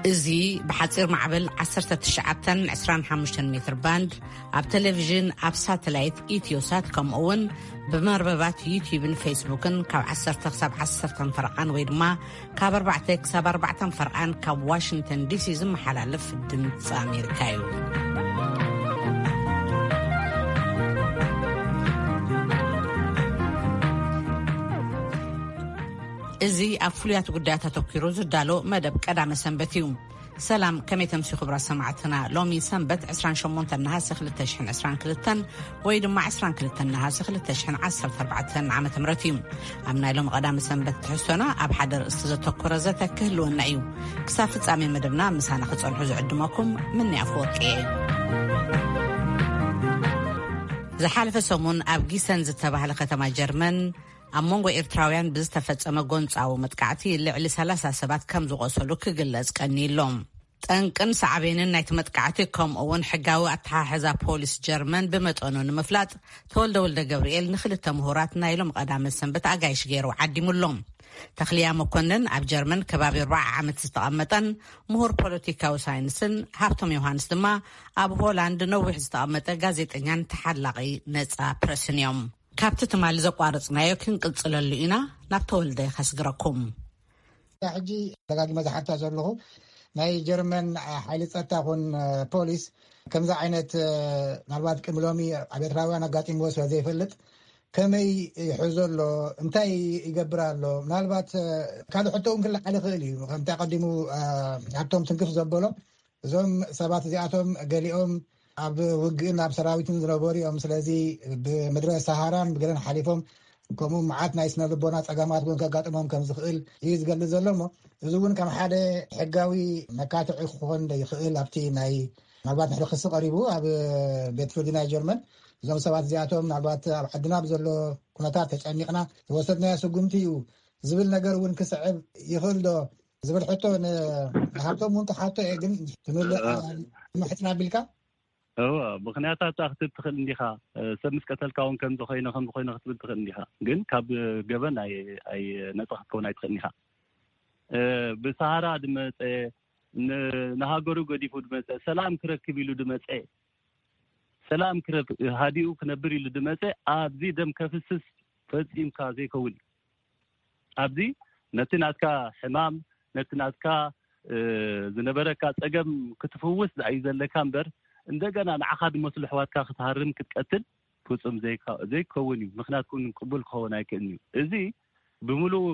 እዚ ብሓጺር ማዕበል ዓሰርተ ትሽዓተን ዕስራን ሓሙሽተን ሜትር ባንድ፣ ኣብ ቴሌቪዥን፣ ኣብ ሳተላይት ኢትዮሳት፣ ከምኡ እውን ብመርበባት ዩቲዩብን ፌስቡክን ካብ ዓሰርተ ክሳብ ዓሰርተ ፈረቓን ወይ ድማ ካብ ኣርባዕተ ክሳብ ኣርባዕተ ፈርቓን ካብ ዋሽንግተን ዲሲ ዝመሓላለፍ ድምፂ ኣሜሪካ እዩ። እዚ ኣብ ፍሉያት ጉዳያት ኣተኲሩ ዝዳሎ መደብ ቀዳመ ሰንበት እዩ። ሰላም፣ ከመይ ተምሲ ክቡራት ሰማዕትና? ሎሚ ሰንበት ዕስራን ሸሞንተን ነሃሰ ክልተ ሽሕን ዕስራን ክልተን ወይ ድማ ዕስራን ክልተን ነሃሰ ክልተ ሽሕን ዓሰርተ ኣርባዕተን ዓመተ ምህረት እዩ። ኣብ ናይ ሎሚ ቀዳመ ሰንበት ትሕዝቶና ኣብ ሓደ ርእስቲ ዘተኮረ ዘተ ክህልወና እዩ። ክሳብ ፍጻሜ መደብና ምሳና ክጸንሑ ዝዕድመኩም ምኒ ኣፈወርቂ እየ። ዝሓለፈ ሰሙን ኣብ ጊሰን ዝተባህለ ከተማ ጀርመን ኣብ መንጎ ኤርትራውያን ብዝተፈጸመ ጎንጻዊ መጥቃዕቲ ልዕሊ ሰላሳ ሰባት ከም ዝቖሰሉ ክግለጽ ቀኒሎም። ጠንቅን ሳዕቤንን ናይቲ መጥቃዕቲ ከምኡ እውን ሕጋዊ ኣተሓሕዛ ፖሊስ ጀርመን ብመጠኑ ንምፍላጥ ተወልደ ወልደ ገብርኤል ንክልተ ምሁራት ናይ ሎም ቀዳመ ሰንበት ኣጋይሽ ገይሩ ዓዲሙሎም። ተኽልያ መኮንን ኣብ ጀርመን ከባቢ ኣርባዓ ዓመት ዝተቐመጠን ምሁር ፖለቲካዊ ሳይንስን ሃብቶም ዮሃንስ ድማ ኣብ ሆላንድ ነዊሕ ዝተቐመጠ ጋዜጠኛን ተሓላቒ ነጻ ፕረስን እዮም። ካብቲ ትማሊ ዘቋረጽናዮ ክንቅጽለሉ ኢና። ናብ ተወልደ ከስግረኩም። ሕጂ ደጋጊመ ዝሓታ ዘለኹ ናይ ጀርመን ሓይሊ ጸጥታ ኹን ፖሊስ ከምዚ ዓይነት ምናልባት ቅድሚ ሎሚ ኣብ ኤርትራውያን ኣጋጢምዎ ስለ ዘይፈልጥ ከመይ ይሕዞ ኣሎ፣ እንታይ ይገብር ኣሎ? ምናልባት ካልእ ሕቶ እውን ክለዓል ይኽእል እዩ። ከምቲ ኣቐዲሙ ሃብቶም ትንክፍ ዘበሎ እዞም ሰባት እዚኣቶም ገሊኦም ኣብ ውግእን ኣብ ሰራዊትን ዝነበሩ እዮም። ስለዚ ብምድረ ሰሃራን ብገለን ሓሊፎም ከምኡ መዓት ናይ ስነ ልቦና ጸገማት እውን ከጋጥሞም ከም ዝኽእል እዩ ዝገልጽ ዘሎ። እሞ እዚ እውን ከም ሓደ ሕጋዊ መካትዒ ክኾን ይኽእል ኣብቲ ናይ ምናልባት ንሕሪ ክሲ ቀሪቡ ኣብ ቤት ፍርዲ ናይ ጀርመን እዞም ሰባት እዚኣቶም ምናልባት ኣብ ዓድና ብዘሎ ኩነታት ተጨኒቕና ዝወሰድናዮ ስጉምቲ እዩ ዝብል ነገር እውን ክስዕብ ይኽእል ዶ ዝብል ሕቶ ንሃብቶም እውን ክሓቶ እየ። ግን ትምልእ ምሕጽና ኣቢልካ እወ፣ ምኽንያታት ክትህብ ትኽእል እንዲኻ። ሰብ ምስ ቀተልካ እውን ከምዚ ኮይነ ከምዚ ኮይነ ክትብል ትኽእል እንዲኻ። ግን ካብ ገበን ኣይ- ኣይ- ነፃ ክትከውን ኣይትኽእል እንዲኻ። ብሰሃራ ድመፀ ን- ንሃገሩ ገዲፉ ድመፀ ሰላም ክረክብ ኢሉ ድመፀ ሰላም ክረክ ሃዲኡ ክነብር ኢሉ ድመፀ ኣብዚ ደም ከፍስስ ፈፂምካ ዘይከውን እዩ። ኣብዚ ነቲ ናትካ ሕማም ነቲ ናትካ ዝነበረካ ፀገም ክትፍውስ ዩ ዘለካ እምበር እንደገና ንዓኻ ድመስሉ ኣሕዋትካ ክትሃርም ክትቀትል ፍፁም ዘይከውን እዩ። ምኽንያት እውን ቅቡል ክኸውን ኣይክእልን እዩ። እዚ ብምሉእ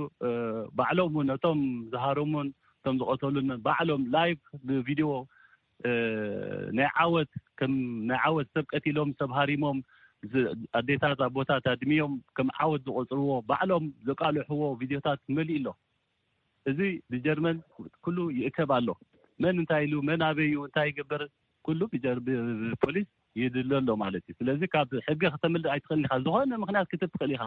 ባዕሎም እውን እቶም ዝሃረሙን እቶም ዝቐተሉን ባዕሎም ላይቭ ብቪድዮ ናይ ዓወት ከም ናይ ዓወት ሰብ ቀቲሎም ሰብ ሃሪሞም ኣዴታት ኣቦታት ኣድሚዮም ከም ዓወት ዝቆፅርዎ ባዕሎም ዘቃልሕዎ ቪድዮታት መሊኡ ኣሎ። እዚ ብጀርመን ኩሉ ይእከብ ኣሎ። መን እንታይ ኢሉ መን ኣበይ እዩ እንታይ ይግበር ኩሉ ብፖሊስ ይድለ ኣሎ ማለት እዩ። ስለዚ ካብ ሕጊ ከተምልጥ ኣይትኽእልን ኢኻ። ዝኾነ ምኽንያት ክትብ ትኽእል ኢኻ።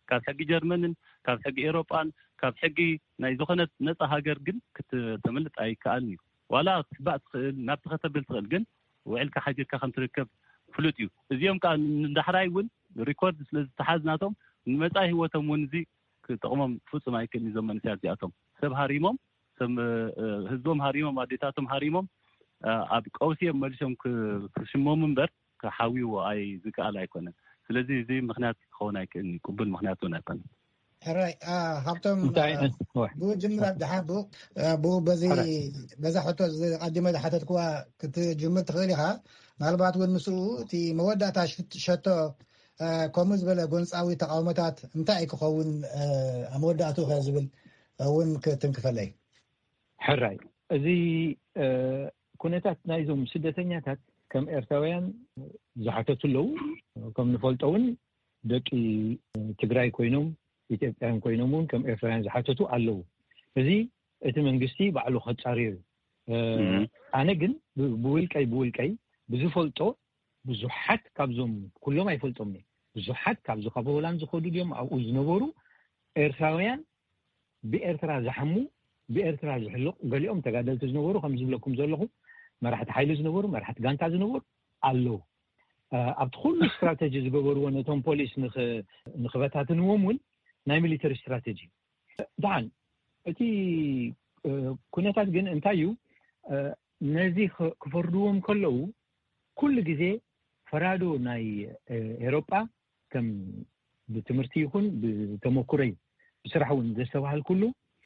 ካብ ሕጊ ጀርመንን ካብ ሕጊ ኤሮጳን ካብ ሕጊ ናይ ዝኾነት ነፃ ሃገር ግን ክተምልጥ ኣይከኣልን እዩ። ዋላ ክትሕባእ ትኽእል ናብቲ ከተብል ትኽእል ግን ውዕልካ ሓዲርካ ከም ትርከብ ፍሉጥ እዩ። እዚኦም ከዓ ንዳሕራይ እውን ሪኮርድ ስለ ዝተሓዝ ናቶም ንመፃኢ ህይወቶም እውን እዚ ክጠቕሞም ፍፁም ኣይክእልን። እዞም መንእሰያት እዚኣቶም ሰብ ሃሪሞም ሰብ ህዝቦም ሃሪሞም ኣዴታቶም ሃሪሞም ኣብ ቀውሲ እዮም መሊሶም ክሽመሙ እምበር ክሓውይዎ ኣይ ዝከኣል ኣይኮነን። ስለዚ እዚ ምክንያት ክኸውን ኣይክእልን እዩ። ቅቡል ምክንያት እውን ኣይኮነን። ሕራይ ሃብቶም እንታይ ብኡ ጅምር ኣብድሓ ብኡ ብኡ በዚ በዛ ሕቶ ቀዲመ ዝሓተትክዋ ክትጅምር ትኽእል ኢኻ። ምናልባት እውን ምስኡ እቲ መወዳእታ ሸቶ ከምኡ ዝበለ ጎንፃዊ ተቃውሞታት እንታይ ክኸውን ኣብ መወዳእትኡ ከ ዝብል እውን ክትንክፈለይ። ሕራይ እዚ ኩነታት ናይዞም ስደተኛታት ከም ኤርትራውያን ዝሓተቱ ኣለዉ። ከም ንፈልጦ እውን ደቂ ትግራይ ኮይኖም ኢትዮጵያን ኮይኖም እውን ከም ኤርትራውያን ዝሓተቱ ኣለዉ። እዚ እቲ መንግስቲ ባዕሉ ከጻርዮ እዩ። ኣነ ግን ብውልቀይ ብውልቀይ ብዝፈልጦ ብዙሓት ካብዞም ኩሎም ኣይፈልጦም ብዙሓት ካብዚ ካብ ሆላንድ ዝኸዱ ድዮም ኣብኡ ዝነበሩ ኤርትራውያን ብኤርትራ ዝሓሙ ብኤርትራ ዝሕልቕ ገሊኦም ተጋደልቲ ዝነበሩ ከም ዝብለኩም ዘለኹ መራሕቲ ሓይሊ ዝነበሩ መራሕቲ ጋንታ ዝነበሩ ኣለዉ። ኣብቲ ኩሉ ስትራተጂ ዝገበርዎ ነቶም ፖሊስ ንክበታትንዎም እውን ናይ ሚሊተሪ ስትራተጂ ደሓን እቲ ኩነታት ግን እንታይ እዩ? ነዚ ክፈርድዎም ከለዉ ኩሉ ግዜ ፈራዶ ናይ ኤሮጳ ከም ብትምህርቲ ይኹን ብተመኩረይ ብስራሕ እውን ዘስተባሃልኩሉ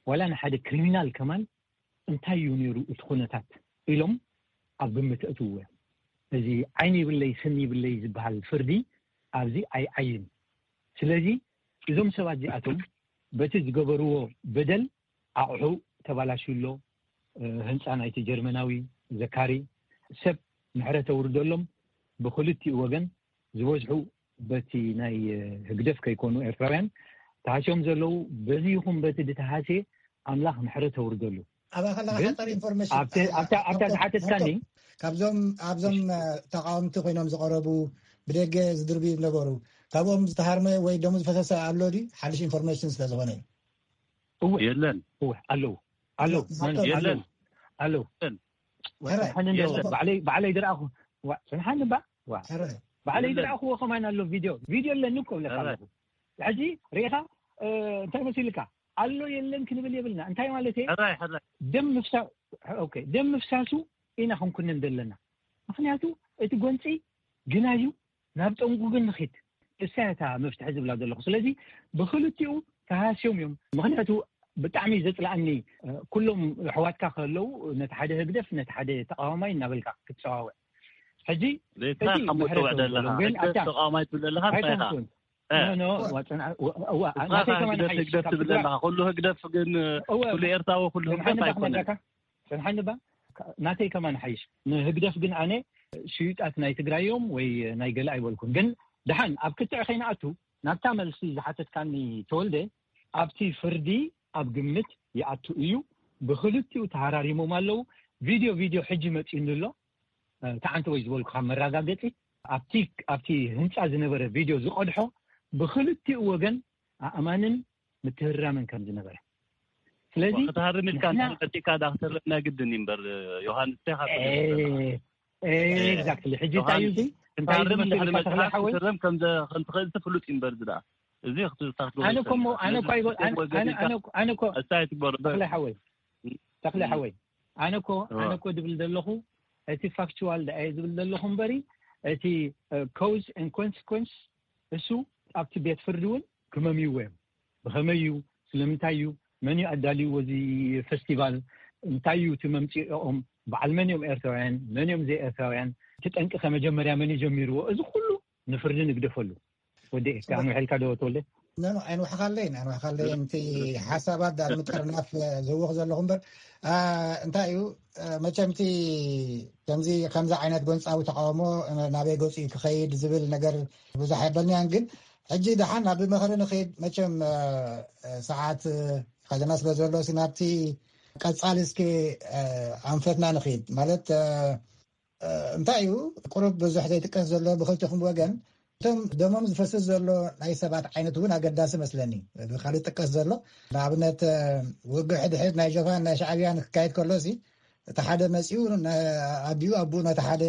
ዋላ ንሓደ ክሪሚናል ከማን እንታይ እዩ ነይሩ እቲ ኩነታት ኢሎም ኣብ ግምት እትውዎ። እዚ ዓይኒ ይብለይ ስኒ ይብለይ ዝበሃል ፍርዲ ኣብዚ ኣይዓይን። ስለዚ እዞም ሰባት እዚኣቶም በቲ ዝገበርዎ በደል ኣቑሑ ተባላሽዩ ኣሎ። ህንፃ ናይቲ ጀርመናዊ ዘካሪ ሰብ ምሕረት ተውርደሎም። ብክልቲኡ ወገን ዝበዝሑ በቲ ናይ ህግደፍ ከይኮኑ ኤርትራውያን ተሃስዮም ዘለዉ። በዚ ይኹን በቲ ድተሃስየ ኣምላኽ ምሕረት ተውርደሉ። ኣብኣ ከለካ ግን ሓፃር ኢንፎርሜሽን ኣብቲ- ኣብታ ኣብታ ዝሓተትካኒ ካብዞም ኣብዞም ተቃወምቲ ኮይኖም ዝቀረቡ ብደገ ዝድርብዩ ነበሩ። ካብኦም ዝተሃርመ ወይ ደሙ ዝፈሰሰ ኣሎ ድዩ? ሓድሽ ኢንፎርሜሽን ስለ ዝኾነ እዩ። እወ የለን። እወ ኣለዉ ኣለዉ የለን። ኣለዉ የለን። ወፅንሓኒ እንዶ ባዕለይ ባዕለይ ዝረኣኹ ዋ ፅንሓኒ ባ ዋ ባዕለይ ዝረኣኹዎ ከማን ኣሎ። ቪድዮ ቪድዮ ኣለኒ እኮ ብለካ ኣለኹ። ሕጂ ርኢኻ እንታይ መሲልካ ኣሎ የለን ክንብል የብልና። እንታይ ማለት እየ? ሕራይ ሕራይ ደም ምፍሳ ኦኬ ደም ምፍሳሱ ኢና ክንኩንን ዘለና። ምክንያቱ እቲ ጎንፂ ግና እዩ ናብ ጠንጉ ግን ንኺድ እሳ እታ መፍትሒ ዝብላ ዘለኹ። ስለዚ ብክልቲኡ ተሃስዮም እዮም። ምክንያቱ ብጣዕሚ ዘፅላኣኒ ኩሎም ኣሕዋትካ ከለዉ ነቲ ሓደ ህግደፍ ነቲ ሓደ ተቃዋማይ እናበልካ ክትፀዋወዕ ሕጂ ዘይትኻ ከም ትውዕ ደለኻ ግን ኣታ ተቃዋማይ ትብለለኻ እንታይ ኢኻ? ኣይኮንኩን። ኖ፣ ኖ፣ ዋ፣ ጽንዓ-፣ ዋ፣ ዋ፣ ናተይ ከማን ሓይሽ። ህግደፍ ትብል ኣለኻ። ኩሉ ህግደፍ ግን እወ። ኩሉ ኤርትራዊ ኩሉ ህግደፍ ኣይኮነን። ጽንሓኒ ባ። ናተይ ከማን ሓይሽ። ንህግደፍ ግን ኣነ ሽዩጣት ናይ ትግራይ እዮም ወይ ናይ ገለ ኣይበልኩን። ግን ደሓን ኣብ ክትዕ ከይንኣቱ ናብታ መልሲ ዝሓተትካኒ ተወልደ ኣብቲ ፍርዲ ኣብ ግምት ይኣቱ እዩ። ብክልቲኡ ተሃራሪሞም ኣለዉ። ቪድዮ ቪድዮ ሕጂ መጺኡኒ ኣሎ። ተዓንተ ወይ ዝበልኩኻ መረጋገጺ ኣብቲ ኣብቲ ህንጻ ዝነበረ ቪድዮ ዝቐድሖ ብክልቲኡ ወገን ኣእማንን ምትህርራምን ከም ዝነበረ። ስለዚ ክትሃርም ኢልካ ንሕና እንተመጺእካ ዳ ክትህረም ናይ ግድን እዩ እምበር ዮሃንስ እንታይ ካብ ኤ- ኤ- ኤግዛክትሊ። ሕጂ እንታይ እዩ እዚ? እንታይ እዩ ክትሃርም ዝመስለካ እንድሕር ተኽለ መጺእካ ሓወይ? ክትህረም ከም ዘ- ከም ትኽእል እቲ ፍሉጥ እዩ እምበር እዚ ደኣ እዚ ክትሳትፎ ኣነ እኮ እሞ- ኣይትኽእልን። ኣነ እኮ ኣይበል- ስለዚ ኣነ- ወገን ኣነ ኢልካ እኮ- ኣነ እኮ- ኣስታይ ትግበሩ ተኽለ ሓወይ ተኽለ ሓወይ ኣነ እኮ ኣነ እኮ ድብል ዘለኹ እቲ ፋክቹዋል ደኣ እየ ዝብል ዘለኹ እምበሪ እቲ ኮዝ ን ኮንስኮንስ እሱ ኣብቲ ቤት ፍርዲ እውን ክመምይዎ እዮም። ብኸመይ እዩ? ስለምንታይ እዩ? መን እዩ ኣዳልይዎ እዚ ፌስቲቫል? እንታይ እዩ እቲ መምፅኦም? በዓል መን እዮም ኤርትራውያን? መን እዮም ዘይኤርትራውያን? እቲ ጠንቂ ከ መጀመርያ መን እዩ ጀሚርዎ? እዚ ኩሉ ንፍርዲ ንግደፈሉ። ወዲ ኣንውሐልካ ዶ ተወልደ? ኖ ኖ ኣይንውሕኻለይን ኣይንውሕኻለይን እቲ ሓሳባት ዳር ምጥርናፍ ዝህወኽ ዘለኹ እምበር እንታይ እዩ መቸምቲ ከምዚ ከምዚ ዓይነት ጎንፃዊ ተቃውሞ ናበይ ገፂ ክኸይድ ዝብል ነገር ብዙሕ የበልናያን ግን ሕጂ ደሓን ናብ ምኽሪ ንኸይድ መቸም ሰዓት ከለና ስለ ዘሎ ናብቲ ቀፃሊ እስኪ ኣንፈትና ንኸይድ ማለት እንታይ እዩ ቁሩብ ብዙሕ ዘይጥቀስ ዘሎ ብክልቲኹም ወገን እቶም ደሞም ዝፈስስ ዘሎ ናይ ሰባት ዓይነት እውን ኣገዳሲ መስለኒ። ብካልእ ጥቀስ ዘሎ ንኣብነት ውግእ ሕድሕድ ናይ ጀብሃን ናይ ሻዕብያን ክካየድ ከሎ ሲ እቲ ሓደ መፂኡ ኣቢኡ ኣቡኡ ነቲ ሓደ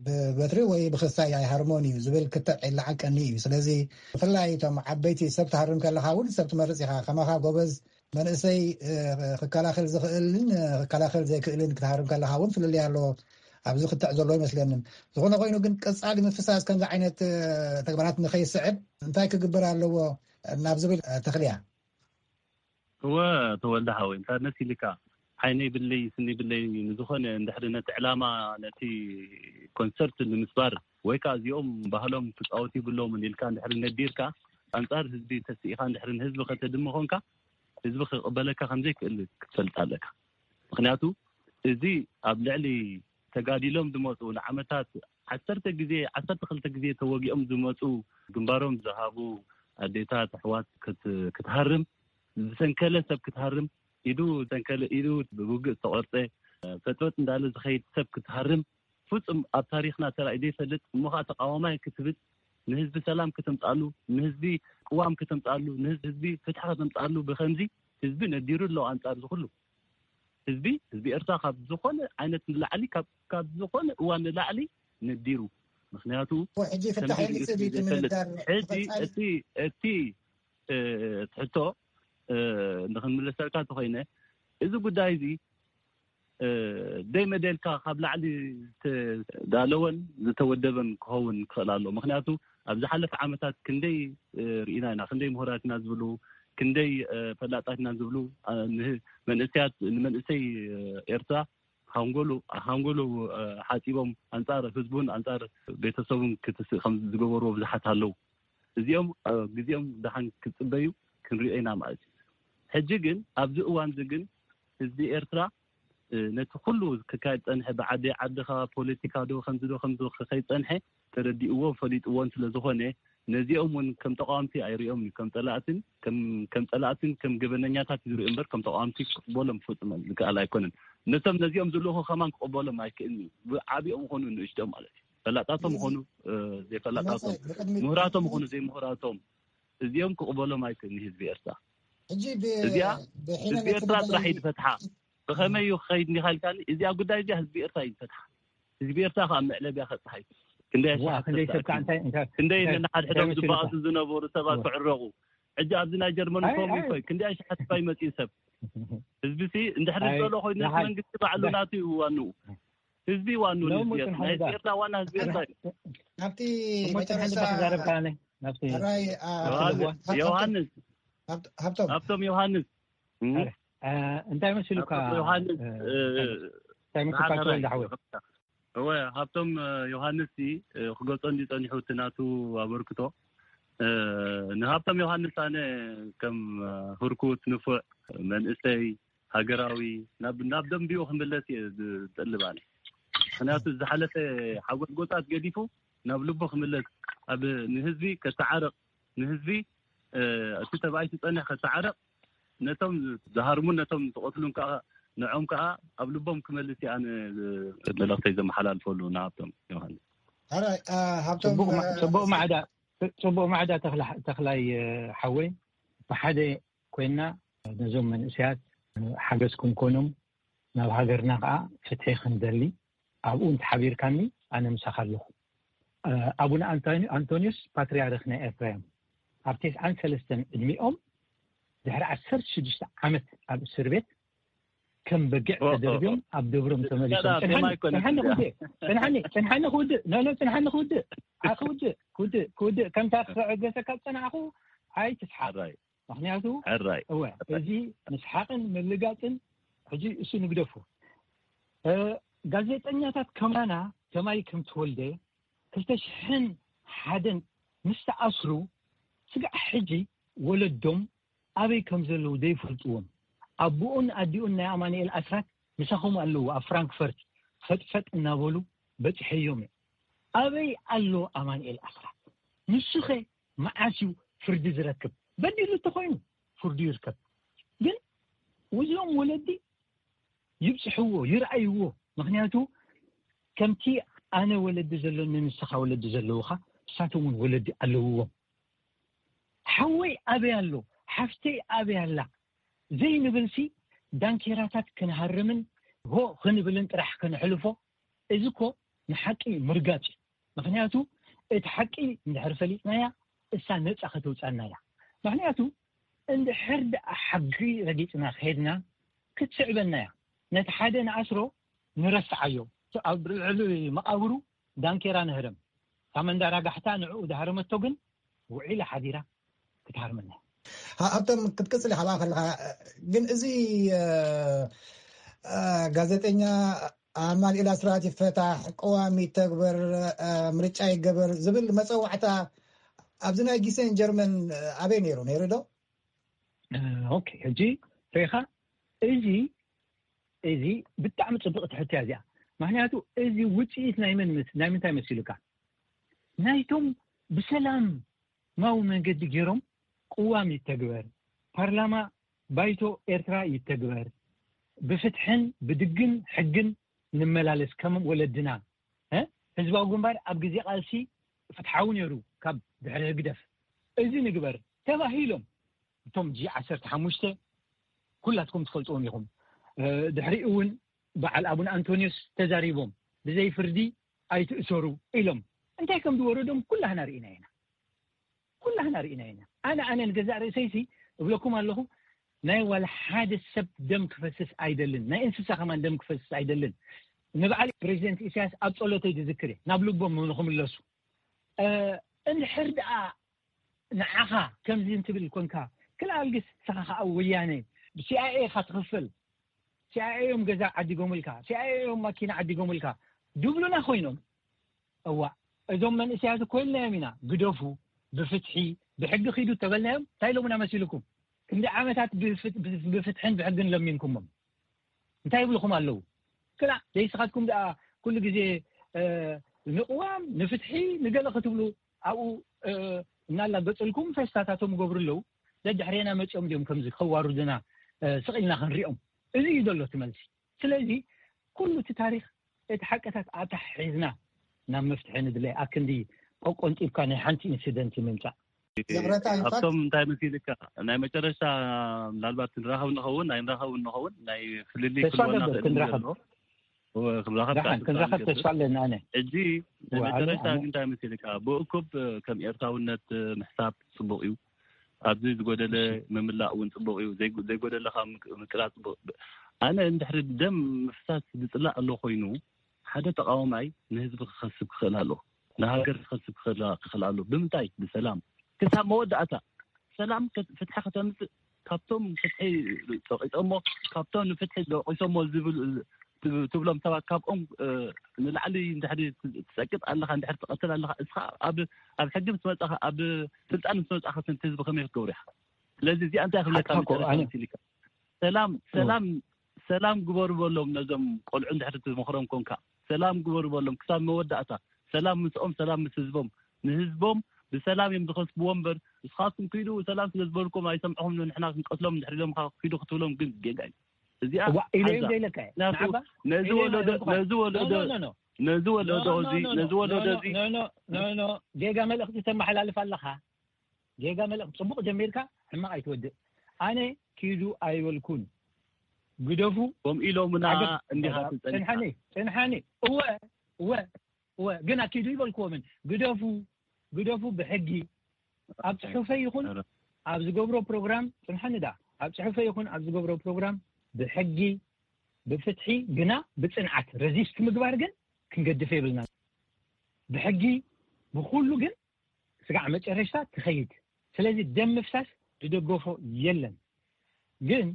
ብበትሪ ወይ ብክሳይ ኣይሃርሞን እዩ ዝብል ክትዕ ይለዓቀኒ እዩ። ስለዚ ብፍላይ እቶም ዓበይቲ ሰብ ትሃርም ከለካ እውን ሰብ ትመርፅ ኢካ ከማካ ጎበዝ መንእሰይ ክከላኸል ዝኽእልን ክከላኸል ዘይክእልን ክትሃርም ከለካ እውን ፍልልይ ኣለዎ። ኣብዚ ክትዕ ዘለዎ ይመስለንን ዝኾነ ኮይኑ ግን ቀፃሊ ምፍሳስ ከምዚ ዓይነት ተግባራት ንኸይስዕብ እንታይ ክግበር ኣለዎ ናብ ዝብል ተኽልያ እወ ተወልደ ሓወይ እንታይ መሲልካ ዓይነይ ብለይ ስኒ ብለይ ንዝኾነ እንድሕሪ ነቲ ዕላማ ነቲ ኮንሰርት ንምስባር ወይ ከዓ እዚኦም ባህሎም ክፃወቱ ይብሎምን ኢልካ እንድሕሪ ነዲርካ ኣንፃር ህዝቢ ተስኢኻ እንድሕሪ ንህዝቢ ከተድሚ ኮንካ ህዝቢ ክቕበለካ ከምዘይክእል ክትፈልጥ ኣለካ። ምክንያቱ እዚ ኣብ ልዕሊ ተጋዲሎም ዝመፁ ንዓመታት ዓሰርተ ግዜ ዓሰርተ ክልተ ግዜ ተወጊኦም ዝመፁ ግንባሮም ዝሃቡ ኣዴታት ኣሕዋት ክትሃርም ዝሰንከለ ሰብ ክትሃርም ኢዱ ዝሰንከለ ኢዱ ብውግእ ዝተቆርፀ ፈጥፈጥ እንዳለ ዝኸይድ ሰብ ክትሃርም ፍፁም ኣብ ታሪክና ተራእዩ ዘይፈልጥ እሞ ከዓ ተቃዋማይ ክትብል ንህዝቢ ሰላም ከተምፃሉ ንህዝቢ ቅዋም ከተምፃሉ ንህዝቢ ፍትሒ ከተምፃሉ ብከምዚ ህዝቢ ነዲሩ ኣለዉ ኣንፃር ዝኩሉ ህዝቢ ህዝቢ ኤርትራ ካብ ዝኾነ ዓይነት ንላዕሊ ካብ ዝኾነ እዋን ንላዕሊ ነዲሩ ምክንያቱ ሕጂ ፍታሕ ይምፅእ ድዩ እቲ ምንዳር ሕጂ እቲ እቲ ትሕቶ ንክንምለሰልካ እንተኮይነ እዚ ጉዳይ እዚ ደይ መደልካ ካብ ላዕሊ ዝተዳለወን ዝተወደበን ክኸውን ክኽእል ኣሎ። ምክንያቱ ኣብ ዝሓለፈ ዓመታት ክንደይ ርኢና ኢና፣ ክንደይ ምሁራት ኢና ዝብሉ፣ ክንደይ ፈላጣት ኢና ዝብሉ መንእሰያት፣ ንመንእሰይ ኤርትራ ሃንጎሉ ሓፂቦም ኣንፃር ህዝቡን ኣንፃር ቤተሰቡን ክትስእ ከም ዝገበርዎ ብዙሓት ኣለዉ። እዚኦም ግዜኦም ደሓን ክፅበዩ ክንሪኦ ኢና ማለት እዩ። ሕጂ ግን ኣብዚ እዋን እዚ ግን ህዝቢ ኤርትራ ነቲ ኩሉ ክካየድ ፀንሐ፣ ብዓዲ ዓድኻ ፖለቲካ ዶ ከምዚ ዶ ከምዚ ክኸይድ ፀንሐ ተረዲእዎ ፈሊጥዎን ስለዝኾነ ነዚኦም እውን ከም ተቃወምቲ ኣይሪኦም እዩ። ከም ፀላእትን ከም ፀላእትን ከም ገበነኛታት ዝሪኦ እምበር ከም ተቃወምቲ ክቅበሎም ፍጹም ዝከኣል ኣይኮነን። ነቶም ነዚኦም ዝልእኹ ከማን ክቅበሎም ኣይክእልን እዩ። ብዓቢኦም ኾኑ ንእሽቶም ማለት እዩ። ፈላጣቶም ኾኑ ዘይፈላጣቶም፣ ምሁራቶም ኾኑ ዘይምሁራቶም እዚኦም ክቅበሎም ኣይክእልን ህዝቢ ኤርትራ። ሕጂ እዚኣ ህዝቢ ኤርትራ ጥራሕ እዩ ዝፈትሓ። ብኸመይ እዩ ክኸይድ እንዲኻ ኢልካኒ፣ እዚኣ ጉዳይ እዚኣ ህዝቢ ኤርትራ እዩ ዝፈትሓ። ህዝቢ ኤርትራ ከዓ መዕለቢያ ከብፅሓ እዩ። ክንደይ ኣሽሓት ክንደይ ሰብ ከዓ እንታይ እንታይ ክንደይ እንታይ ነንሓድሕዶም እንታይ ዝበኣሱ ዝነበሩ ሰባት ክዕረቑ። ሕጂ ኣብዚ ናይ ጀርመን እኮ ይኮይ ክንደይ ኣሽሓት እኳ ይመፅኡ ሰብ። ህዝቢ ሲ እንድሕር ዝደሎ ኮይኑ እቲ መንግስቲ ባዕሉ ናቱ እዩ ዋንኡ። ህዝቢ ዋንኡ። ናይ ኤርትራ ዋና ህዝቢ ኤርትራ እዩ። ኣብቲ መጨረሻ ተዛረብካ። ዮሃንስ፣ ሃብቶም ዮሃንስ፣ እንታይ መሲሉካ ዮሃንስ? እንታይ መሲሉካ? ተወልደ ሓወይ፣ እወ፣ ሃብቶም ዮሃንስ ክገልጾ እንዲ ጸኒሑ እቲ ናቱ ኣበርክቶ። ንሃብቶም ዮሃንስ ኣነ ከም ህርኩት ንፉዕ መንእሰይ ሃገራዊ ናብ ደንቢኡ ክምለስ እየ ዝጠልብ ኣነ። ምክንያቱ ዝሓለፈ ሓጎስጎጻት ገዲፉ ናብ ልቡ ክምለስ፣ ኣብ ንህዝቢ ከተዓርቕ፣ ንህዝቢ እቲ ተባኢሱ ዝጸንሕ ከተዓርቕ፣ ነቶም ዝሃርሙን ነቶም ዝቐትሉን ከዓ ንዖም ከዓ ኣብ ልቦም ክመልስ እየ ኣነ መልእኽተይ ዘመሓላልፈሉ ንሃብቶም ዮሃንስ። ሓራይ፣ ሃብቶም፣ ጽቡቕ ማ- ጽቡቕ ማዕዳ ጽቡቕ ማዕዳ ተኽላ- ተኽላይ ሓወይ፣ ብሓደ ኮይና ነዞም መንእሰያት ሓገዝ ክንኮኖም፣ ናብ ሃገርና ከዓ ፍትሒ ክንደሊ፣ ኣብኡ እንተሓቢርካኒ ኣነ ምሳኻ ኣለኹ። ኣቡነ ኣንቶኒ- ኣንቶኒዮስ ፓትርያርክ ናይ ኤርትራ እዮም። ኣብ ተስዓን ሰለስተን ዕድሚኦም ድሕሪ ዓሰርተ ሽዱሽተ ዓመት ኣብ እስር ቤት ከም በጊዕ ተደርብዮም ኣብ ደብሮም ተመሊሶም። ጽንሓኒ ክውድእ፣ ጽንሓኒ ክውድእ፣ ኖ ኖ፣ ጽንሓኒ ክውድእ፣ ክውድእ፣ ክውድእ፣ ክውድእ። ከምታ ክዕገሰካ ዝጸናዕኹ ኣይትስሓቕ። ምክንያቱ እወ፣ እዚ ምስሓቕን ምልጋጽን ሕጂ እሱ ንግደፉ። ጋዜጠኛታት ከማና ከማይ ከም ተወልደ ክልተ ሽሕን ሓደን ምስ ተኣስሩ ስጋዕ ሕጂ ወለዶም ኣበይ ከም ዘለዉ ዘይፈልጥዎም፣ ኣቦኡን ኣዲኡን ናይ ኣማኑኤል ኣስራት ምሳኹም ኣለዉ ኣብ ፍራንክፈርት ፈጥፈጥ እናበሉ በጺሐዮም እዮም። ኣበይ ኣሎ ኣማኑኤል ኣስራት? ንሱኸ መዓስ እዩ ፍርዲ ዝረክብ? በዲሉ እንተኾይኑ ፍርዱ ይርከብ። ግን እዚኦም ወለዲ ይብፅሕዎ፣ ይርኣይዎ። ምክንያቱ ከምቲ ኣነ ወለዲ ዘሎኒ ንስኻ ወለዲ ዘለውኻ ንሳቶም እውን ወለዲ ኣለውዎም። ሓወይ ኣበይ ኣሎ፣ ሓፍተይ ኣበይ ኣላ ዘይንብልሲ ዳንኬራታት ክንሃርምን ሆ ክንብልን ጥራሕ ከነሕልፎ፣ እዚ እኮ ንሓቂ ምርጋፅ እዩ። ምክንያቱ እቲ ሓቂ እንድሕር ፈሊጥናያ እሳ ነፃ ከተውፃና እያ። ምክንያቱ እንድሕር ደኣ ሓቂ ረጊፅና ከይድና ክትስዕበና እያ። ነቲ ሓደ ንኣስሮ ንረስዓዮ፣ ኣብ ልዕሊ መቓብሩ ዳንኬራ ንህረም። እታ መንዳራጋሕታ ንዕኡ ዝሃረመቶ ግን ውዒላ ሓዲራ ክትሃርመና። ሃብቶም ክትቅፅል ኢኻ ከለኻ ግን እዚ ጋዜጠኛ ኣማኑኤል ኣስራት ይፈታሕ፣ ቅዋም ይተግበር፣ ምርጫ ይገበር ዝብል መፀዋዕታ ኣብዚ ናይ ጊሰን ጀርመን ኣበይ ነይሩ? ነይሩ ዶ? ኦኬ፣ ሕጂ ሪኢኻ፣ እዚ እዚ ብጣዕሚ ፅብቕቲ ሕቶ እያ እዚኣ። ምክንያቱ እዚ ውፅኢት ናይ መን ምስ- ናይ ምንታይ መሲሉካ? ናይቶም ብሰላማዊ መንገዲ ገይሮም ቅዋም ይተግበር፣ ፓርላማ ባይቶ ኤርትራ ይተግበር፣ ብፍትሕን ብድግን ሕግን ንመላለስ ከም ወለድና። እ? ህዝባዊ ግንባር ኣብ ግዜ ቃልሲ ፍትሓዊ ነይሩ ካብ ድሕሪ ህግደፍ። እዚ ንግበር ተባሂሎም እቶም ጂ ዓሰርተ ሓሙሽተ ኩላትኩም ትፈልጥዎም ኢኹም። ድሕሪኡ እውን በዓል ኣቡነ ኣንቶኒዮስ ተዛሪቦም ብዘይ ፍርዲ ኣይትእሰሩ ኢሎም። እንታይ ከም ዝወረዶም ኩላህና ርኢና ኢና። ኩላህና ርኢና ኢና። ኣነ ኣነ ንገዛእ ርእሰይሲ እብለኩም ኣለኹ፣ ናይ ዋላ ሓደ ሰብ ደም ክፈስስ ኣይደልን። ናይ እንስሳ ከማን ደም ክፈስስ ኣይደልን። ንበዓል ፕሬዚደንት ኢሳያስ ኣብ ጸሎተይ ዝዝክር እየ፣ ናብ ልቦም ንክምለሱ። እንድሕር ደኣ ንዓኻ ከምዚ እንትብል ኮንካ፣ ክልኣልግስ ንስኻ ከዓ ወያነ ብሲኣይኤ ኢኻ ትኽፈል፣ ሲኣይኤ እዮም ገዛ ዓዲጎምልካ፣ ሲኣይኤ እዮም ማኪና ዓዲጎምልካ ድብሉና ኮይኖም። እዋ፣ እዞም መንእሰያት እኮ ኢልናዮም ኢና፣ ግደፉ፣ ብፍትሒ ብሕጊ ኪዱ ተበልናዮም። እንታይ ኢሎምና መሲልኩም? ክንዲ ዓመታት ብፍትሕን ብሕግን ለሚንኩሞም እንታይ ይብልኹም ኣለዉ? ክላ ዘይስኻትኩም ደኣ ኩሉ ግዜ ንቅዋም፣ ንፍትሒ፣ ንገለ ክትብሉ ኣብኡ እናላገጽልኩም ፌስታታቶም ይገብሩ ኣለዉ። ደድሕሬና መጺኦም ድዮም ከምዚ ከዋርዱና ስቕ ኢልና ክንሪኦም? እዚ እዩ ዘሎ እቲ መልሲ። ስለዚ ኩሉ እቲ ታሪኽ፣ እቲ ሓቅታት ኣታሒዝና ናብ መፍትሒ ንድለይ። ኣክንዲ ቆቆንጢብካ ናይ ሓንቲ ኢንሲደንት ምምጻእ። ይቕረታ፣ in fact፣ ኣብቶም እንታይ መሲልካ፣ ናይ መጨረሻ ምናልባት ክንራኸብ ንኸውን ኣይንራኸብን ንኸውን፣ ናይ ፍልልይ ተስፋ ክህልወና ገብር ክእል ክንራኸብ ዘሎ። ክንራኸብ ከዓ ደሓን ተስፋ ክንራኸብ ንገብር። ተስፋ ኣለና። ኣነ ሕጂ ናይ እዋ፣ ኣነ- መጨረሻ ኣነ- ግን እንታይ መሲልካ፣ ብእኩብ ከም ኤርትራውነት ምሕሳብ ጽቡቕ እዩ። ኣብዚ ዝጎደለ ምምላእ እውን ጽቡቕ እዩ። ዘይጎ- ዘይጎደለ ከዓ ምቅ- ምቅላል ጽቡቕ። ኣነ እንድሕሪ ደም ምፍሳስ ዝጽላእ ኣሎ ኮይኑ፣ ሓደ ተቃዋማይ ንህዝቢ ክኸስብ ክኽእል ኣሎ፣ ንሃገር ክኸስብ ክኽእል ክኽእል ኣሎ። ብምንታይ? ብሰላም ክሳብ መወዳእታ። ሰላም ከ- ፍትሒ ከተምጽእ፣ ካብቶም ፍትሒ ጸቂጦሞ፣ ካብቶም ንፍትሒ ደቂሶሞ ዝብል ትብሎም ሰባት፣ ካብኦም ንላዕሊ እንድሕሪ ትጸቅጥ ኣለኻ፣ እንድሕሪ ትቐትል ኣለኻ፣ እስኻ ኣብ ኣብ ሕጊ ምስ መጻኻ፣ ኣብ ስልጣን ምስ መጻኻ፣ ስንቲ ህዝቢ ከመይ ክትገብሩ ኢኻ? ስለዚ እዚኣ እንታይ ክብለካ? ሓቅኻ እኮ፣ መጨረሻ ኣነ- መሲልካ፣ ሰላም ሰላም ሰላም ግበሩ በሎም። ነዞም ቆልዑ እንድሕሪ ትመኽሮም ኮንካ፣ ሰላም ግበሩ በሎም ክሳብ መወዳእታ። ሰላም ምስኦም፣ ሰላም ምስ ህዝቦም። ንህዝቦም ብሰላም እዮም ዝኸስብዎ እምበር፣ እስኻትኩም ኪዱ፣ ሰላም ስለ ዝበልኩም ኣይሰምዕኹም፣ ንሕና ክንቀትሎም እንድሕሪ ኢሎም ኪዱ ክትብሎም ግን ጌጋ እዩ። እዚኣ እዋ፣ ኢለ ሓዛ። ዘይለካ እየ። ምክንያቱ ንዓባ ነዚ ኢለ ወለዶ ዘይለካ እየ። ነዚ ወለዶ ኖ፣ ኖ፣ ኖ፣ ኖ። ነዚ ወለዶ ኖ፣ ኖ፣ እዚ ኖ፣ ኖ፣ ነዚ ወለዶ ኖ፣ እዚ ኖ፣ ኖ፣ ኖ፣ ኖ። ጌጋ መልእኽቲ ተመሓላልፍ ኣለኻ። ጌጋ መልእኽቲ ጽቡቕ ጀሚርካ ሕማቕ ኣይትወድእ። ኣነ ኪዱ ኣይበልኩን። ግደፉ። ከምኡ ኢሎምና ዓገብ እንዲኻ ጌጋ። ትጸኒሕካ። ጽንሓኒ፣ ጽንሓኒ። እወ፣ እወ፣ እወ። ግን ኣኪዱ ይበልክዎምን። ግደፉ፣ ግደፉ ብሕጊ። ኣብ ጽሑፈይ ይኹን ኧረ። ኣብ ዝገብሮ ፕሮግራም፣ ጽንሓኒ ዳ፣ ኣብ ጽሑፈይ ይኹን ኣብ ዝገብሮ ፕሮግራም ብሕጊ፣ ብፍትሒ፣ ግና ብጽንዓት ረዚስት ምግባር ግን ክንገድፍ የብልና። ብሕጊ፣ ብኹሉ ግን ስጋዕ መጨረሽታ ትኸይድ። ስለዚ ደም ምፍሳስ ዝደገፎ የለን። ግን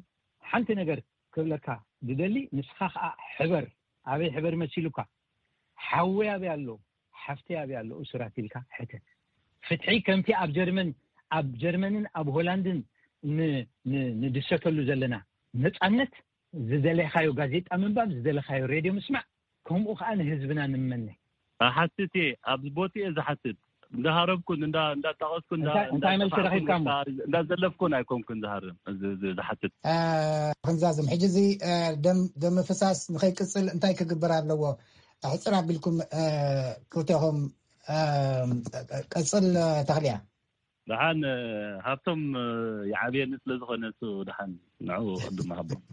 ሓንቲ ነገር ክብለካ ዝደሊ፣ ንስኻ ኸዓ ሕበር፣ ኣበይ ሕበር መሲሉካ፣ ሓወይ ኣበይ ኣሎ፣ ሓፍተይ ኣበይ ኣሎ፣ እሱራት ኢልካ ሕተት። ፍትሒ ከምቲ ኣብ ጀርመን፣ ኣብ ጀርመንን ኣብ ሆላንድን ን- ን- ንድሰተሉ ዘለና ነጻነት፣ ዝደለኻዮ ጋዜጣ ምንባብ፣ ዝደለኻዮ ሬድዮ ምስማዕ፣ ከምኡ ኸዓ ንህዝብና ንመነ። እሓትት እየ፣ ኣብ ቦትኡ እየ ዝሓትት። እንዳሃረብኩን እንዳ እንዳጣቐስኩን እንዳ እንታይ- እንታይ መልሲ እንዳጠፋዕኩን ረኺብካ እሞ? ወይ ከዓ እንዳዘለፍኩን ኣይኮንኩን ዝሃርም፣ እዚ- እዚ- ዝሓትት። እ፣ ክንዛዝም ሕጂ እዚ፣ እ፣ ደም ደም ምፍሳስ ንኸይቅጽል እንታይ ክግበር ኣለዎ? ኣሕጽር ኣቢልኩም፣ እ፣ ክልቴኹም፣ እ፣ ቀጽል፣ እ፣ ተኽልያ። ደሓን፣ እ፣ ሃብቶም፣ እ፣ ይዓብየኒ ስለ ዝኾነ፣ እሱ ደሓን ንዑ ቅድም ሃቦም።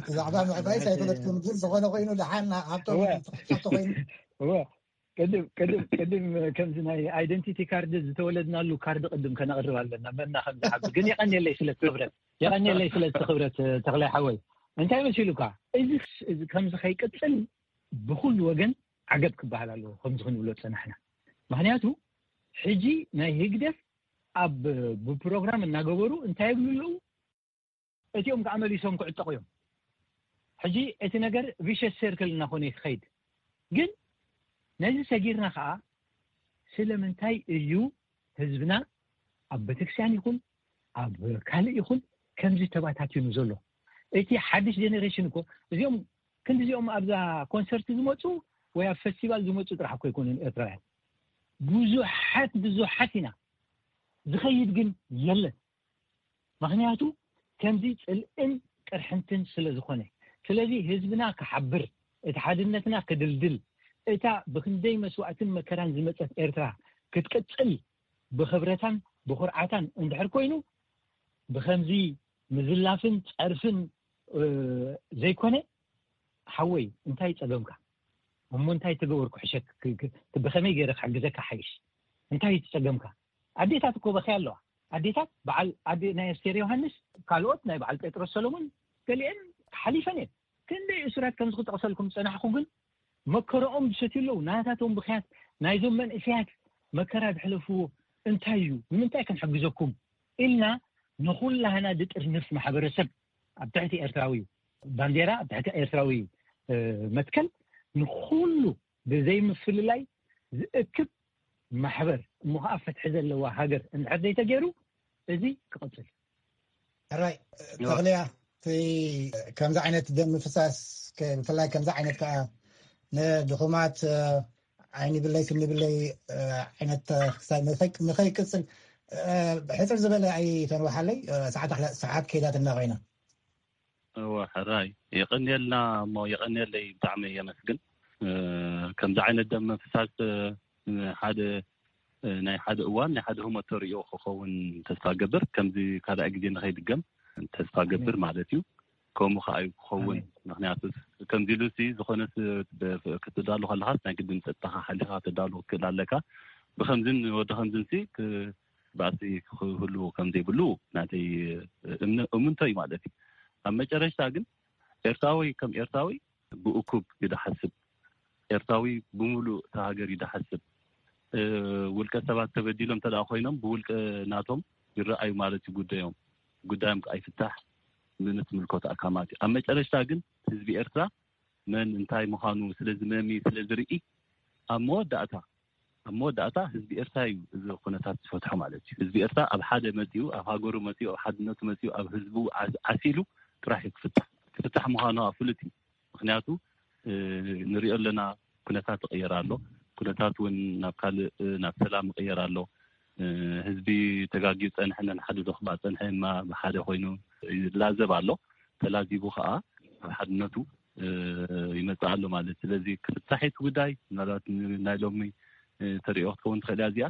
ብዛዕባ ምዕባይስ ኣይፈለጥኩም፣ ግን ዝኾነ ኮይኑ ደሓን ሃብቶም እወ። ተሓቶ ኮይኑ። እወ፣ ቅድም ቅድም ቅድም ከምዚ ናይ ኣይደንቲቲ ካርድ ዝተወለድናሉ ካርድ ቅድም ከነቕርብ ኣለና፣ መና ከም ዝሓቢ። ግን የቐንየለይ ስለ እቲ ክብረት፣ የቐንየለይ ስለ እቲ ክብረት፣ እ፣ ተኽላይ ሓወይ። እንታይ መሲሉካ? እዚ እዚ ከምዚ ከይቅጽል ብኹሉ ወገን ዓገብ ክበሃል ኣለዎ፣ ከምዚ ክንብሎ ዝጸናሕና። ምኽንያቱ ሕጂ ናይ ህግደፍ ኣብ ብፕሮግራም እናገበሩ እንታይ ይብሉ ኣለዉ? እቲኦም ከዓ መሊሶም ክዕጠቑ እዮም። ሕጂ እቲ ነገር ቪሸስ ሰርክል እናኾነ እዩ ክኸይድ። ግን ነዚ ሰጊርና ከዓ ስለምንታይ እዩ ህዝብና ኣብ ቤተክርስትያን ይኹን ኣብ ካልእ ይኹን ከምዚ ተባታቲኑ ዘሎ? እቲ ሓድሽ ጀኔሬሽን እኮ፣ እዚኦም ክንዲ እዚኦም ኣብዛ ኮንሰርት ዝመፁ ወይ ኣብ ፈስቲቫል ዝመፁ ጥራሕ እኮ ኣይኮኑን ኤርትራውያን። ብዙሓት ብዙሓት ኢና፣ ዝኸይድ ግን የለን። ምኽንያቱ ከምዚ ጽልእን ቅርሕንትን ስለ ዝኾነ። ስለዚ ህዝብና ክሓብር፣ እቲ ሓድነትና ክድልድል፣ እታ ብክንደይ መስዋእትን መከራን ዝመጸት ኤርትራ ክትቅጽል ብኽብረታን ብኹርዓታን እንድሕር ኮይኑ፣ ብኸምዚ ምዝላፍን ጸርፍን፣ እ፣ ዘይኮነ፣ ሓወይ፣ እንታይ ጸገምካ? እሞ እንታይ ተገበርኩ ሕሸክ? ክ-፣ ክ-፣ ብኸመይ ገይረ ክሕግዘካ ሓይሽ? እንታይ እዩ ጸገምካ? ኣዴታት እኮ በኺ ኣለዋ። ኣዴታት፣ በዓል ኣዴ ናይ ኣስቴር ዮሃንስ፣ ካልኦት ናይ በዓል ጴጥሮስ ሰሎሞን፣ ገሊአን ሓሊፈን እየን። ክንደይ እሱራት ከምዚ ክጠቕሰልኩም ዝጸናሕኩ ግን መከረኦም ዝሰትዩ ኣለዉ። ናታቶም ብኽያት ናይዞም መንእሰያት መከራ ዘሕለፍዎ እንታይ እዩ? ንምንታይ ክንሕግዘኩም? ኢልና ንኹላህና ዝጥርንፍ ማሕበረሰብ ኣብ ትሕቲ ኤርትራዊ ባንዴራ፣ ኣብ ትሕቲ ኤርትራዊ መትከል ንኹሉ ብዘይምፍልላይ ዝእክብ ማሕበር እሞ ኸዓ ፍትሒ ዘለዋ ሃገር እንድሕር ዘይተገይሩ እዚ ክቕጽል። ሕራይ ተኽልያ፣ እቲ ከምዚ ዓይነት ደም ምፍሳስ፣ ብፍላይ ከምዚ ዓይነት ከዓ ንድኹማት ዓይኒ ብለይ ስኒ ብለይ ዓይነት ንኸይቅፅል ሕፅር ዝበለ ኣይተንዋሓለይ። ሰዓት ሰዓት ከይዳትና ኮይና። እወ፣ ሕራይ የቐንየልና። እሞ የቐንየለይ፣ ብጣዕሚ የመስግን። ከምዚ ዓይነት ደም ምፍሳስ ሓደ ናይ ሓደ እዋን ናይ ሓደ ህሞት ተርእዮ ክኸውን ተስፋ ገብር። ከምዚ ካልኣይ ግዜ ንኸይድገም ተስፋ ገብር ማለት እዩ። ከምኡ ከዓ እዩ ክኸውን። ምክንያቱ ከምዚ ኢሉ ሲ ዝኾነ ክትዳሉ ከለኻስ ናይ ግድን ፀጥታኻ ሓሊኻ ክትዳሉ ክትክእል ኣለካ። ብከምዝን ወዲ ከምዝን ሲ ባእሲ ክህሉ ከም ዘይብሉ ናተይ እምንቶ እዩ ማለት እዩ። ኣብ መጨረሽታ ግን ኤርትራዊ ከም ኤርትራዊ ብእኩብ እዩ ዝሓስብ። ኤርትራዊ ብምሉእ እታ ሃገር እዩ ዝሓስብ። ውልቀ ሰባት ተበዲሎም እንተ ኮይኖም ብውልቀ ናቶም ይረኣዩ ማለት እዩ ጉዳዮም። ጉዳዮም ከዓ ይፍታሕ ምእንቲ ምልኮት ኣካማት እዩ። ኣብ መጨረሽታ ግን ህዝቢ ኤርትራ መን እንታይ ምዃኑ ስለዚ መሚ ስለዚ ርኢ ኣብ መወዳእታ ኣብ መወዳእታ ህዝቢ ኤርትራ እዩ እዚ ኩነታት ዝፈትሖ ማለት እዩ። ህዝቢ ኤርትራ ኣብ ሓደ መፂኡ፣ ኣብ ሃገሩ መፂኡ፣ ኣብ ሓድነቱ መፂኡ፣ ኣብ ህዝቡ ዓሲሉ ጥራሕ እዩ ክፍታሕ። ክፍታሕ ምዃኑ ፍሉጥ እዩ። ምክንያቱ ንሪኦ ኣለና፣ ኩነታት ይቕየር ኣሎ። ኩነታት እውን ናብ ካልእ ናብ ሰላም ይቕየር ኣሎ። ህዝቢ ተጋጊዩ ፀንሐ ነንሓደ ዘኽባ ፀንሐ ማ ብሓደ ኮይኑ ይላዘብ ኣሎ። ተላዚቡ ከዓ ኣብ ሓድነቱ ይመፅእ ኣሎ ማለት። ስለዚ ክፍታሕ እቲ ጉዳይ ምናልባት ናይ ሎሚ ተሪኦ ክትከውን ትኽእል እያ እዚኣ።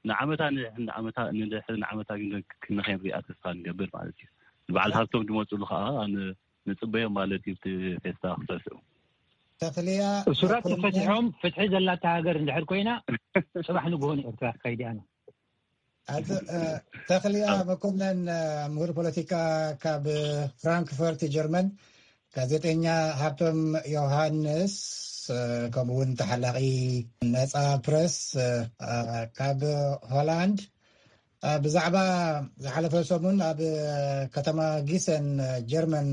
ንዓመታ ንድሕሪ ንዓመታ ንድሕሪ ንዓመታ ግን ክንኸይንሪኣ ተስፋ ንገብር ማለት እዩ። ንበዓል ሃብቶም ዝመፅሉ ከዓ ንፅበዮም ማለት እዩ። እቲ ፌስታ ክሰስዑ ተኽልያ እሱራት ተፈትሖም ፍትሒ ዘላታ ሃገር እንድሕር ኮይና ፅባሕ ንግሆ ንኤርትራ ክኸይድ እያ። ተኽልያ መኮነን፣ ምሁር ፖለቲካ ካብ ፍራንክፈርት ጀርመን፣ ጋዜጠኛ ሃብቶም ዮሃንስ፣ ከምኡ እውን ተሓላቒ ነፃ ፕረስ ካብ ሆላንድ፣ ብዛዕባ ዝሓለፈ ሰሙን ኣብ ከተማ ጊሰን ጀርመን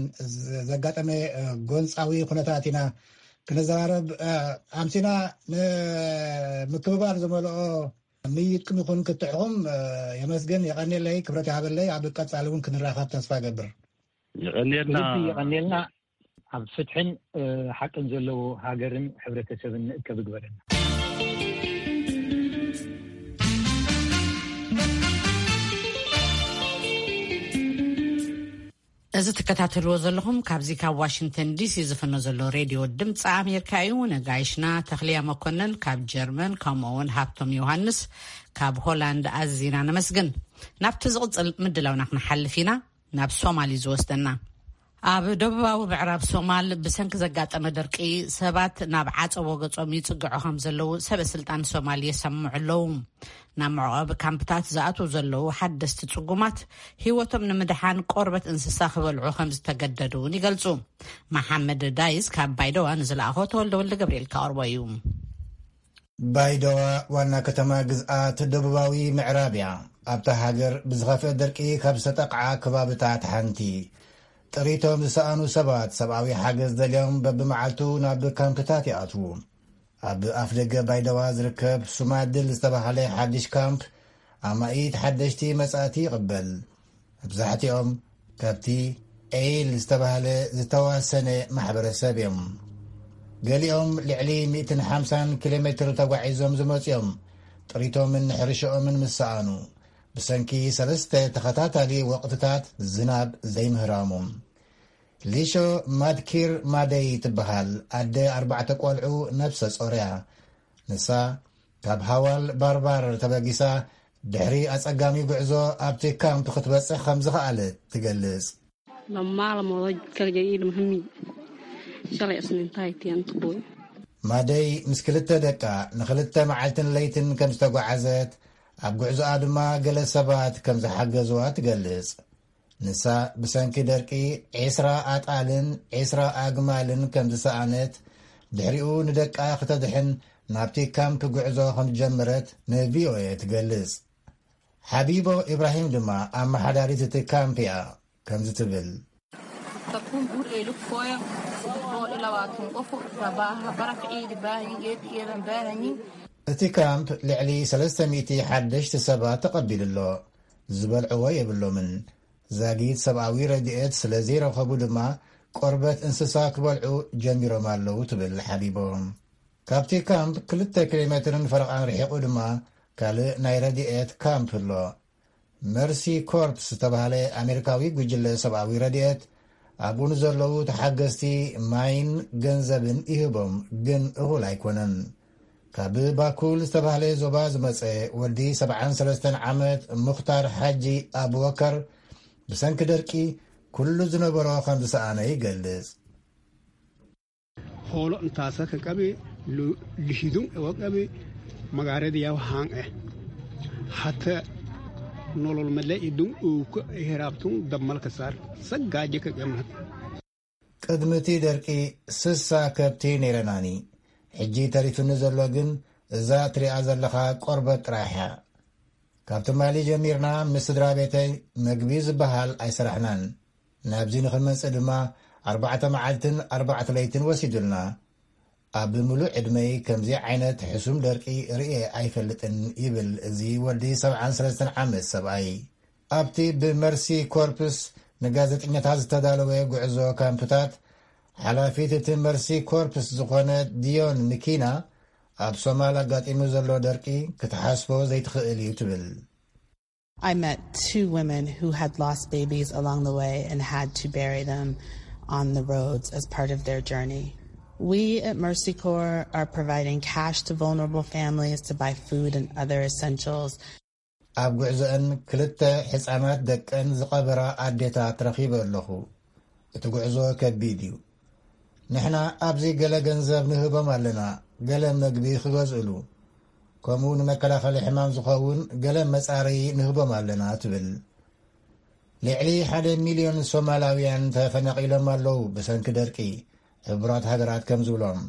ዘጋጠመ ጎንፃዊ ኩነታት ኢና ክንዘራረብ ኣምሲና። ንምክብባር ዝመልኦ ምይጥኩም ይኹን ክትዕኹም የመስግን። የቐንየለይ፣ ክብረት ይሃበለይ። ኣብ ቀፃሊ እውን ክንራኸብ ተስፋ ገብር። የቐንየልና። የቐንየልና። ኣብ ፍትሕን ሓቅን ዘለዎ ሃገርን ሕብረተሰብን ንእከብ ይግበረና። እዚ ትከታተልዎ ዘለኹም ካብዚ ካብ ዋሽንግተን ዲሲ ዝፍኖ ዘሎ ሬድዮ ድምፂ ኣሜሪካ እዩ። ነጋይሽና ተኽልያ መኮነን ካብ ጀርመን፣ ከምኡ እውን ሃብቶም ዮሃንስ ካብ ሆላንድ ኣዚና ነመስግን። ናብቲ ዝቕፅል ምድላውና ክንሓልፍ ኢና። ናብ ሶማል እዩ ዝወስደና። ኣብ ደቡባዊ ምዕራብ ሶማል ብሰንኪ ዘጋጠመ ደርቂ ሰባት ናብ ዓፀቦ ገጾም ይጽግዑ ከም ዘለዉ ሰበ ስልጣን ሶማል የሰምዑ ኣለዉ። ናብ መዕቆቢ ካምፕታት ዝኣትዉ ዘለዉ ሓደስቲ ጽጉማት ህይወቶም ንምድሓን ቆርበት እንስሳ ክበልዑ ከም ዝተገደዱ እውን ይገልጹ። መሓመድ ዳይስ ካብ ባይደዋ ንዝለኣኾ ተወልደ ወልደ ገብርኤል ከቕርቦ እዩ። ባይደዋ ዋና ከተማ ግዝኣት ደቡባዊ ምዕራብ እያ። ኣብታ ሃገር ብዝኸፍአ ደርቂ ካብ ዝተጠቕዓ ከባብታት ሓንቲ። ጥሪቶም ዝሰኣኑ ሰባት ሰብኣዊ ሓገዝ ደልዮም በብመዓልቱ ናብ ካምፕታት ይኣትዉ። ኣብ ኣፍ ደገ ባይደዋ ዝርከብ ሱማድል ዝተባህለ ሓድሽ ካምፕ ኣማኢት ሓደሽቲ መጻእቲ ይቕበል። መብዛሕትኦም ካብቲ ኤይል ዝተባህለ ዝተዋሰነ ማሕበረሰብ እዮም። ገሊኦም ልዕሊ ሚእትን ሓምሳን ኪሎ ሜትር ተጓዒዞም ዝመጹ እዮም። ጥሪቶምን ሕርሽኦምን ምስ ሰኣኑ፣ ብሰንኪ ሰለስተ ተኸታታሊ ወቕትታት ዝናብ ዘይምህራሙ። ሊሾ ማድኪር ማደይ ትበሃል ኣደ ኣርባዕተ ቆልዑ ነብሰ ጾር እያ። ንሳ ካብ ሃዋል ባርባር ተበጊሳ ድሕሪ ኣጸጋሚ ጉዕዞ ኣብቲ ካምፕ ክትበጽሕ ከም ዝኸኣለት ትገልጽ። Lamma la moodo jidka la geeyay ilmo hami. Shalay isniinta ay tiyan tuqoy. ማደይ ምስ ክልተ ደቃ ንኽልተ መዓልትን ለይትን ከም ዝተጓዓዘት ኣብ ጉዕዞኣ ድማ ገለ ሰባት ከም ዝሓገዝዋ ትገልጽ። ንሳ ብሰንኪ ደርቂ ዒስራ ኣጣልን ዒስራ ኣግማልን ከም ዝሰኣነት፣ ድሕሪኡ ንደቃ ክተድሕን ናብቲ ካምፕ ጉዕዞ ከም ዝጀመረት ንቪኦኤ ትገልጽ። ሓቢቦ ኢብራሂም ድማ ኣመሓዳሪት እቲ ካምፕ እያ። ከምዚ ትብል። Takkuun guur eeluk fooya bool ilaa waa tun qofu rabaa baraf ciidi baahin geed iiran baahanyin. እቲ ካምፕ ልዕሊ ሰለስተ ሚእቲ ሓደሽቲ ሰባት ተቐቢሉ ኣሎ። ዝበልዕዎ የብሎምን። ዛጊት ሰብኣዊ ረድኤት ስለ ዘይረኸቡ ድማ ቆርበት እንስሳ ክበልዑ ጀሚሮም ኣለዉ ትብል ሓቢቦም። ካብቲ ካምፕ ክልተ ኪሎ ሜትርን ፈረቓን ርሒቑ ድማ ካልእ ናይ ረድኤት ካምፕ ኣሎ። መርሲ ኮርፕስ ዝተባህለ ኣሜሪካዊ ጉጅለ ሰብኣዊ ረድኤት ኣብኡ ንዘለዉ ተሓገዝቲ ማይን ገንዘብን ይህቦም፣ ግን እኹል ኣይኮነን። ካብ ባኩል ዝተባህለ ዞባ ዝመጸ ወዲ ሰብዓን ሰለስተን ዓመት ሙኽታር ሓጂ ኣቡበከር ብሰንኪ ደርቂ ኩሉ ዝነበሮ ከም ዝሰኣነ ይገልጽ። Hoolo intaasa ka qabe lihidun ewa qabe magaarada yaw haan eh. Hata nolol male idun uuka heraabtun dammalka saar saggaaje ka qemnat. ቅድሚ እቲ ደርቂ ስሳ ከብቲ ነይረናኒ። ሕጂ ተሪፉኒ ዘሎ ግን እዛ ትሪኣ ዘለኻ ቆርበት ጥራሕ እያ። ካብ ትማሊ ጀሚርና ምስ ስድራ ቤተይ መግቢ ዝበሃል ኣይሰራሕናን። ናብዚ ንኽንመጽእ ድማ ኣርባዕተ መዓልትን ኣርባዕተ ለይትን ወሲዱልና። ኣብ ምሉእ ዕድመይ ከምዚ ዓይነት ሕሱም ደርቂ ርእየ ኣይፈልጥን ይብል እዚ ወዲ ሰብዓን ሰለስተን ዓመት ሰብኣይ። ኣብቲ ብመርሲ ኮርፕስ ንጋዜጠኛታት ዝተዳለወ ጉዕዞ ካምፕታት ሓላፊት እቲ መርሲ ኮርፕስ ዝኾነ ዲዮን ምኪና ኣብ ሶማል ኣጋጢሙ ዘሎ ደርቂ ክትሓስቦ ዘይትኽእል እዩ ትብል። I met two women who had lost babies along the way and had to bury them on the roads as part of their journey. We at Mercy Corps are providing cash to vulnerable families to buy food and other essentials. ኣብ ጉዕዞአን ክልተ ሕፃናት ደቀን ዝቐበራ ኣዴታት ረኺበ ኣለኹ። እቲ ጉዕዞ ከቢድ እዩ። ንሕና ኣብዚ ገለ ገንዘብ ንህቦም ኣለና፣ ገለ መግቢ ክገዝእሉ፣ ከምኡ ንመከላኸሊ ሕማም ዝኸውን ገለ መጻረዪ ንህቦም ኣለና ትብል። ልዕሊ ሓደ ሚልዮን ሶማላውያን ተፈናቒሎም ኣለዉ ብሰንኪ ደርቂ። ሕቡራት ሃገራት ከም ዝብሎም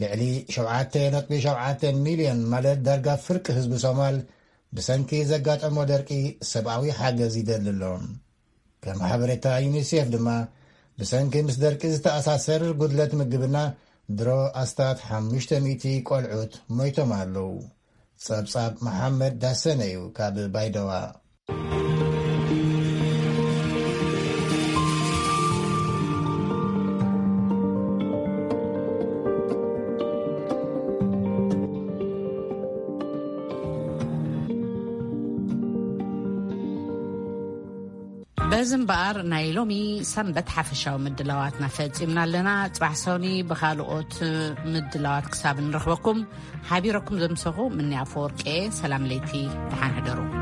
ልዕሊ ሸውዓተ ነጥቢ ሸውዓተ ሚልዮን ማለት ዳርጋ ፍርቂ ህዝቢ ሶማል ብሰንኪ ዘጋጠሞ ደርቂ ሰብኣዊ ሓገዝ ይደሊ ኣሎ። ከም ሓበሬታ ዩኒሴፍ ድማ ብሰንኪ ምስ ደርቂ ዝተኣሳሰር ጉድለት ምግብና ድሮ ኣስታት ሓሙሽተ ሚእቲ ቆልዑት ሞይቶም ኣለዉ። ጸብጻብ መሓመድ ዳሰነ እዩ ካብ ባይደዋ። በዚ እምበኣር ናይ ሎሚ ሰንበት ሓፈሻዊ ምድላዋትና ፈጺምና ኣለና። ጽባሕ ሰኒ ብኻልኦት ምድላዋት ክሳብ ንረኽበኩም ሓቢረኩም ዘምሰኹ ምኒ ኣፈወርቄ ሰላም ለይቲ ደሓን ሕደሩ።